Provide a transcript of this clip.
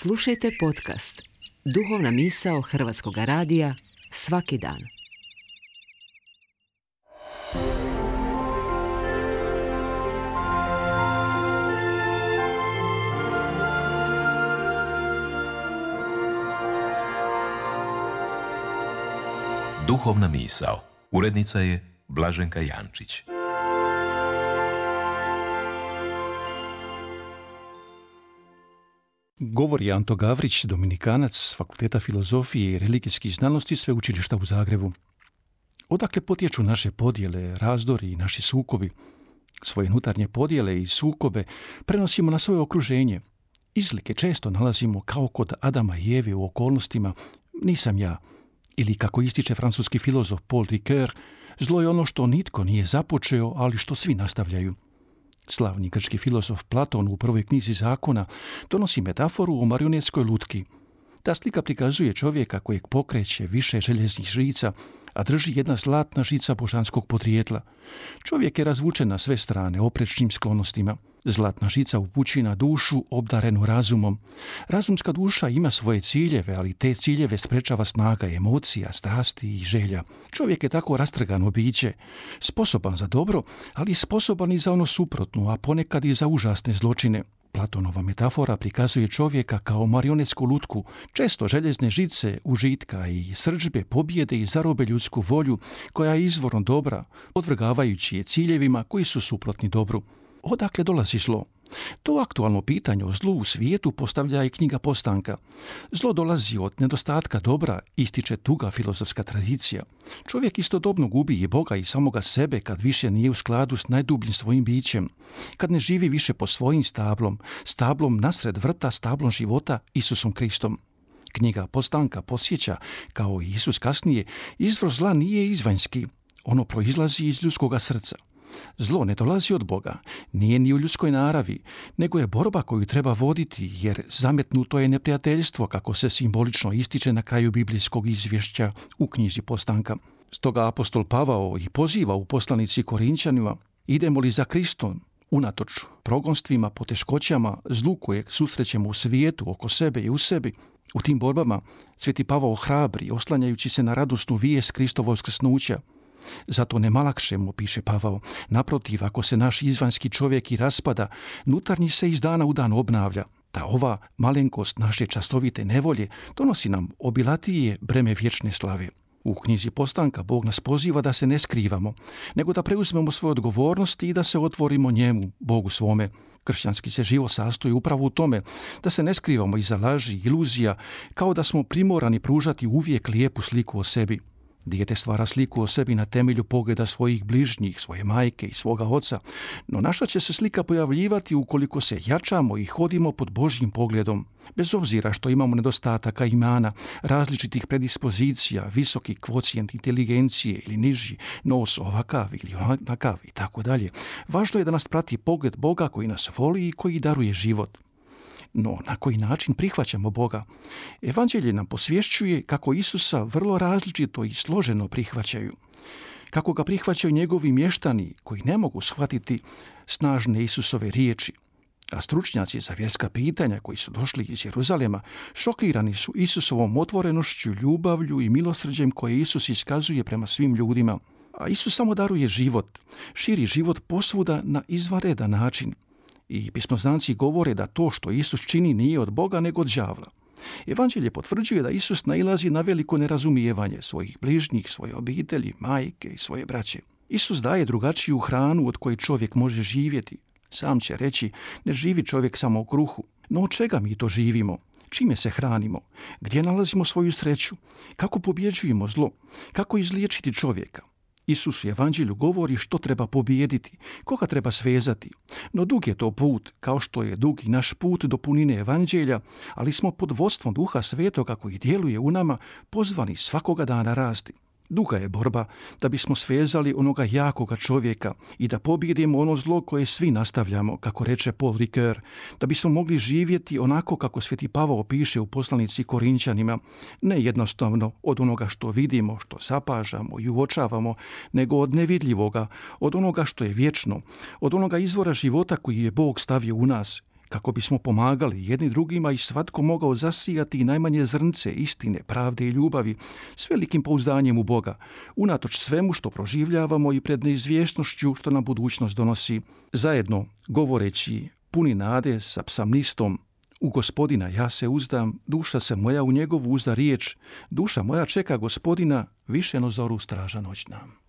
Slušajte podcast Duhovna misao Hrvatskog radija svaki dan. Duhovna misao. Urednica je Blaženka Jančić. Govori Anto Gavrić, dominikanac s Fakulteta filozofije i religijskih znanosti Sveučilišta u Zagrebu. Odakle potječu naše podjele, razdori i naši sukobi? Svoje unutarnje podjele i sukobe prenosimo na svoje okruženje. Izlike često nalazimo kao kod Adama i Eve u okolnostima nisam ja. Ili kako ističe francuski filozof Paul Ricoeur, zlo je ono što nitko nije započeo, ali što svi nastavljaju. Slavni grčki filozof Platon u prvoj knjizi Zakona donosi metaforu o marionetskoj lutki. Ta slika prikazuje čovjeka kojeg pokreće više željeznih žica, a drži jedna zlatna žica božanskog podrijetla. Čovjek je razvučen na sve strane oprečnim sklonostima. Zlatna žica upući na dušu obdarenu razumom. Razumska duša ima svoje ciljeve, ali te ciljeve sprečava snaga emocija, strasti i želja. Čovjek je tako rastrgano biće, sposoban za dobro, ali sposoban i za ono suprotno, a ponekad i za užasne zločine. Platonova metafora prikazuje čovjeka kao marionetsku lutku, često željezne žice užitka i srdžbe pobjede i zarobe ljudsku volju, koja je izvorno dobra, podvrgavajući je ciljevima koji su suprotni dobru. Odakle dolazi zlo? To aktualno pitanje o zlu u svijetu postavlja i knjiga Postanka. Zlo dolazi od nedostatka dobra, ističe duga filozofska tradicija. Čovjek istodobno gubi i Boga i samoga sebe kad više nije u skladu s najdubljim svojim bićem, kad ne živi više po svojim stablom nasred vrta, stablom života, Isusom Kristom. Knjiga Postanka podsjeća, kao i Isus kasnije, izvor zla nije izvanjski, ono proizlazi iz ljudskoga srca. Zlo ne dolazi od Boga, nije ni u ljudskoj naravi, nego je borba koju treba voditi, jer zametnuto je neprijateljstvo, kako se simbolično ističe na kraju biblijskog izvješća u knjizi Postanka. Stoga apostol Pavao i poziva u poslanici Korinćanima: idemo li za Kristom, unatoč progonstvima, poteškoćama, zlu kojeg susrećemo u svijetu, oko sebe i u sebi. U tim borbama Sveti Pavao hrabri, oslanjajući se na radosnu vijest Kristovog uskrsnuća. Zato nema lakšemo, piše Pavao. Naprotiv, ako se naš izvanjski čovjek i raspada, unutarnji se iz dana u dan obnavlja. Da ova malenkost naše častovite nevolje donosi nam obilatije breme vječne slave. U knjizi Postanka Bog nas poziva da se ne skrivamo, nego da preuzmemo svoje odgovornosti i da se otvorimo njemu, Bogu svome. Kršćanski se život sastoji upravo u tome da se ne skrivamo iza laži, iluzija, kao da smo primorani pružati uvijek lijepu sliku o sebi. Dijete stvara sliku o sebi na temelju pogleda svojih bližnjih, svoje majke i svoga oca, no naša će se slika pojavljivati ukoliko se jačamo i hodimo pod Božjim pogledom. Bez obzira što imamo nedostataka imana, različitih predispozicija, visoki kvocijent inteligencije ili niži, nos ovakav ili onakav i tako dalje, važno je da nas prati pogled Boga koji nas voli i koji daruje život. No, na koji način prihvaćamo Boga? Evanđelje nam posvješćuje kako Isusa vrlo različito i složeno prihvaćaju. Kako ga prihvaćaju njegovi mještani koji ne mogu shvatiti snažne Isusove riječi. A stručnjaci za vjerska pitanja koji su došli iz Jeruzalema šokirani su Isusovom otvorenošću, ljubavlju i milosrđem koje Isus iskazuje prema svim ljudima. A Isus samo daruje život, širi život posvuda na izvanredan način. I pismoznanci govore da to što Isus čini nije od Boga nego od đavla. Evanđelje potvrđuje da Isus nailazi na veliko nerazumijevanje svojih bližnjih, svoje obitelji, majke i svoje braće. Isus daje drugačiju hranu od koje čovjek može živjeti. Sam će reći, ne živi čovjek samo u kruhu. No od čega mi to živimo? Čime se hranimo? Gdje nalazimo svoju sreću? Kako pobjeđujemo zlo? Kako izliječiti čovjeka? Isus u Evanđelju govori što treba pobijediti, koga treba svezati. No dug je to put, kao što je dug i naš put do punine Evanđelja, ali smo pod vodstvom Duha Svetoga koji djeluje u nama pozvani svakoga dana rasti. Duga je borba da bismo svezali onoga jakoga čovjeka i da pobijedimo ono zlo koje svi nastavljamo, kako reče Paul Ricoeur, da bismo mogli živjeti onako kako Sveti Pavao piše u poslanici Korinćanima, ne jednostavno od onoga što vidimo, što zapažamo i uočavamo, nego od nevidljivoga, od onoga što je vječno, od onoga izvora života koji je Bog stavio u nas, kako bismo pomagali jedni drugima i svatko mogao zasijati najmanje zrnce istine, pravde i ljubavi s velikim pouzdanjem u Boga, unatoč svemu što proživljavamo i pred neizvjesnošću što nam budućnost donosi. Zajedno, govoreći puni nade sa psalmistom: u Gospodina ja se uzdam, duša se moja u njegovu uzda riječ, duša moja čeka Gospodina više no zoru straža noćna.